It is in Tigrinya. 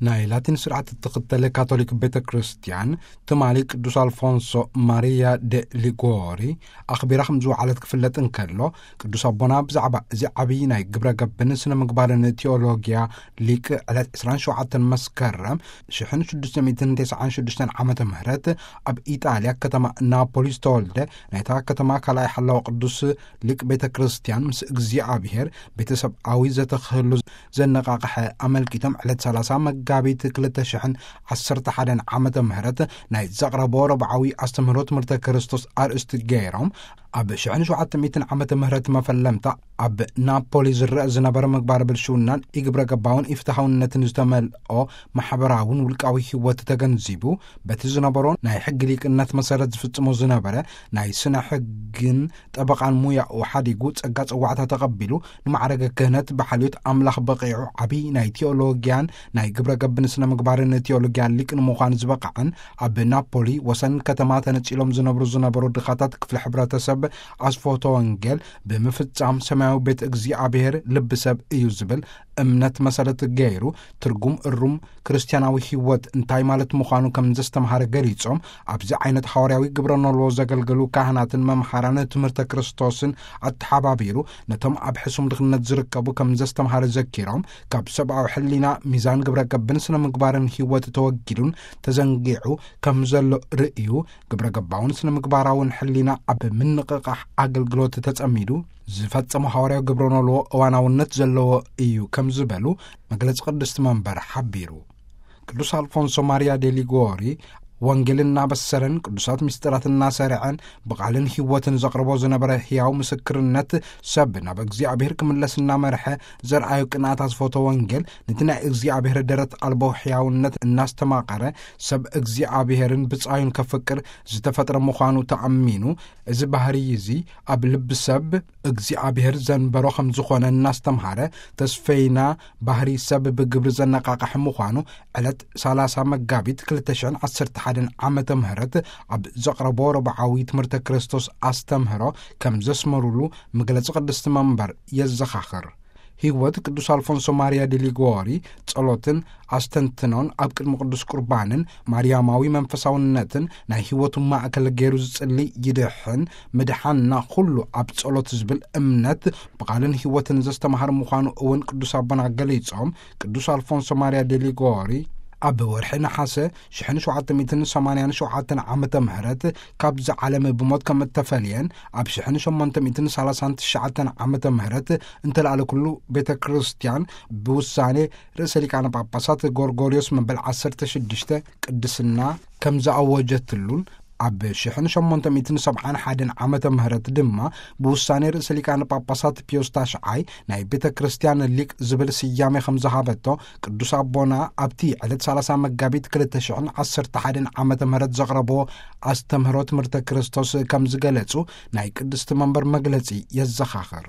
ናይ ላቲን ስርዓት እትኽተል ካቶሊክ ቤተ ክርስቲያን ትማሊ ቅዱስ ኣልፎንሶ ማሪያ ደ ሊጎሪ ኣኽቢራ ከም ዝወዓለት ክፍለጥ እንከሎ፣ ቅዱስ ኣቦና ብዛዕባ እዚ ዓብዪ ናይ ግብረ ገብን ስነ ምግባርን ቴዎሎጊያ ሊቅ ዕለት ዕስራን ሸውዓተን መስከረም ሽሕን ሽዱሽተ ሚእትን ተስዓን ሽዱሽተን ዓመተ ምህረት ኣብ ኢጣልያ ከተማ ናፖሊ ዝተወልደ፣ ናይታ ከተማ ካልኣይ ሓላዊ ቅዱስ ሊቅ ቤተ ክርስቲያን ምስ እግዚኣብሔር ቤተሰብኣዊ ዘተኽህሉ ዘነቓቕሐ ኣመልኪቶም፣ ዕለት ሰላሳ መጋቢት ክልተ ሽሕን ዓሰርተ ሓደን ዓመተ ምህረት ናይ ዘቕረቦ ረብዓዊ ኣስተምህሮ ትምህርተ ክርስቶስ ኣርእስቲ ገይሮም፣ ኣብ ሽሕን ሸውዓተ ሚእትን ዓመተ ምህረት መፈለምታ ኣብ ናፖሊ ዝረአ ዝነበረ ምግባር ብልሽውናን ኢግብረ ገባውን ኢፍትሃውነትን ዝተመልኦ ማሕበራውን ውልቃዊ ህይወት ተገንዚቡ፣ በቲ ዝነበሮ ናይ ሕጊ ሊቅነት መሰረት ዝፍጽሞ ዝነበረ ናይ ስነ ሕግን ጠበቓን ሙያኡ ሓዲጉ፣ ጸጋ ጽዋዕታ ተቐቢሉ፣ ንማዕረገ ክህነት ብሓልዮት ኣምላኽ በቒዑ፣ ዓብዪ ናይ ቴዎሎጊያን ናይ ግብረ ገብን ስነ ምግባርን ቴዎሎጊያ ሊቅ ንምዃን ዝበቕዐን፣ ኣብ ናፖሊ ወሰን ከተማ ተነጺሎም ዝነብሩ ዝነበሩ ድኻታት ክፍሊ ሕብረተሰብ ኣስፎቶ ወንጌል ብምፍጻም ሰማያዊ ቤት እግዚኣብሔር ልቢ ሰብ እዩ ዝብል እምነት መሰረት ገይሩ፣ ትርጉም እሩም ክርስትያናዊ ህይወት እንታይ ማለት ምዃኑ ከም ዘስተምሃረ ገሊጾም፣ ኣብዚ ዓይነት ሃዋርያዊ ግብረ ኖልዎ ዘገልገሉ ካህናትን መምሃራን ትምህርተ ክርስቶስን ኣተሓባቢሩ፣ ነቶም ኣብ ሕሱም ድኽነት ዝርከቡ ከም ዘስተምሃረ ዘኪሮም፣ ካብ ሰብኣዊ ሕሊና፣ ሚዛን ግብረ ገብን ስነ ምግባርን ህይወት ተወጊዱን ተዘንጊዑ ከም ዘሎ ርእዩ፣ ግብረ ገባውን ስነ ምግባራውን ሕሊና ኣብ ምንቕቓሕ ኣገልግሎት ተጸሚዱ ዝፈጸሞ ሃዋርያዊ ግብረ ኖልዎ እዋናውነት ዘለዎ እዩ ከም ዝበሉ መግለጺ ቅድስቲ መንበር ሓቢሩ። ቅዱስ ኣልፎንሶ ማሪያ ዴ ሊጎሪ ወንጌል እናበሰረን ቅዱሳት ምስጢራት እናሰርዐን ብቓልን ህይወትን ዘቕርቦ ዝነበረ ህያው ምስክርነት፣ ሰብ ናብ እግዚኣብሔር ክምለስ እናመርሐ ዘርኣዩ ቅንኣት ኣስፎቶ ወንጌል፣ ነቲ ናይ እግዚኣብሔር ደረት ኣልቦ ሕያውነት እናስተማቐረ፣ ሰብ እግዚኣብሔርን ብጻዩን ከፍቅር ዝተፈጥረ ምዃኑ ተኣሚኑ፣ እዚ ባህሪ እዚ ኣብ ልቢ ሰብ እግዚኣብሔር ዘንበሮ ከም ዝኾነ እናስተምሃረ፣ ተስፈይና ባህሪ ሰብ ብግብሪ ዘነቃቕሕ ምዃኑ፣ ዕለት ሰላሳ መጋቢት ክልተ ሽሕን ዓሰርተ ሓደን ዓመተ ምህረት ኣብ ዘቕረቦ ረብዓዊ ትምህርተ ክርስቶስ ኣስተምህሮ ከም ዘስመሩሉ መግለጺ ቅድስቲ መንበር የዘኻኽር። ህይወት ቅዱስ ኣልፎንሶ ማሪያ ዲ ሊጎሪ ጸሎትን ኣስተንትኖን ኣብ ቅድሚ ቅዱስ ቁርባንን ማርያማዊ መንፈሳውነትን ናይ ህይወቱ ማእከል ገይሩ ዝጽሊ፣ ይድሕን፣ ምድሓንና ኩሉ ኣብ ጸሎት ዝብል እምነት ብቓልን ህይወትን ዘስተምሃር ምዃኑ እውን ቅዱስ ኣቦና ገሊጾም፣ ቅዱስ ኣልፎንሶ ማሪያ ዲ ሊጎሪ ኣብ ወርሒ ነሓሰ ሽሕን ሸውዓተ ሚእትን ሰማንያን ሸውዓተን ዓመተ ምህረት ካብዚ ዓለም ብሞት ከም እተፈልየን፣ ኣብ ሽሕን ሸሞንተ ሚእትን ሰላሳን ትሽዓተን ዓመተ ምህረት እንተለኣለ ኩሉ ቤተ ክርስቲያን ብውሳኔ ርእሰ ሊቃነ ጳጳሳት ጎርጎርዮስ መበል ዓሰርተ ሽዱሽተ ቅድስና ከም ዝኣወጀትሉን፣ ኣብ ሽሕን ሸሞንተ ሚእትን ሰብዓን ሓደን ዓመተ ምህረት ድማ ብውሳኔ ርእሰ ሊቃነ ጳጳሳት ፒዮስ ታሽዓይ ናይ ቤተ ክርስቲያን ሊቅ ዝብል ስያሜ ከም ዝሃበቶ፣ ቅዱስ ኣቦና ኣብቲ ዕለት ሰላሳ መጋቢት ክልተ ሽሕን ዓሰርተ ሓደን ዓመተ ምህረት ዘቕረብዎ ኣስተምህሮ ትምህርተ ክርስቶስ ከም ዝገለጹ ናይ ቅድስቲ መንበር መግለጺ የዘኻኽር።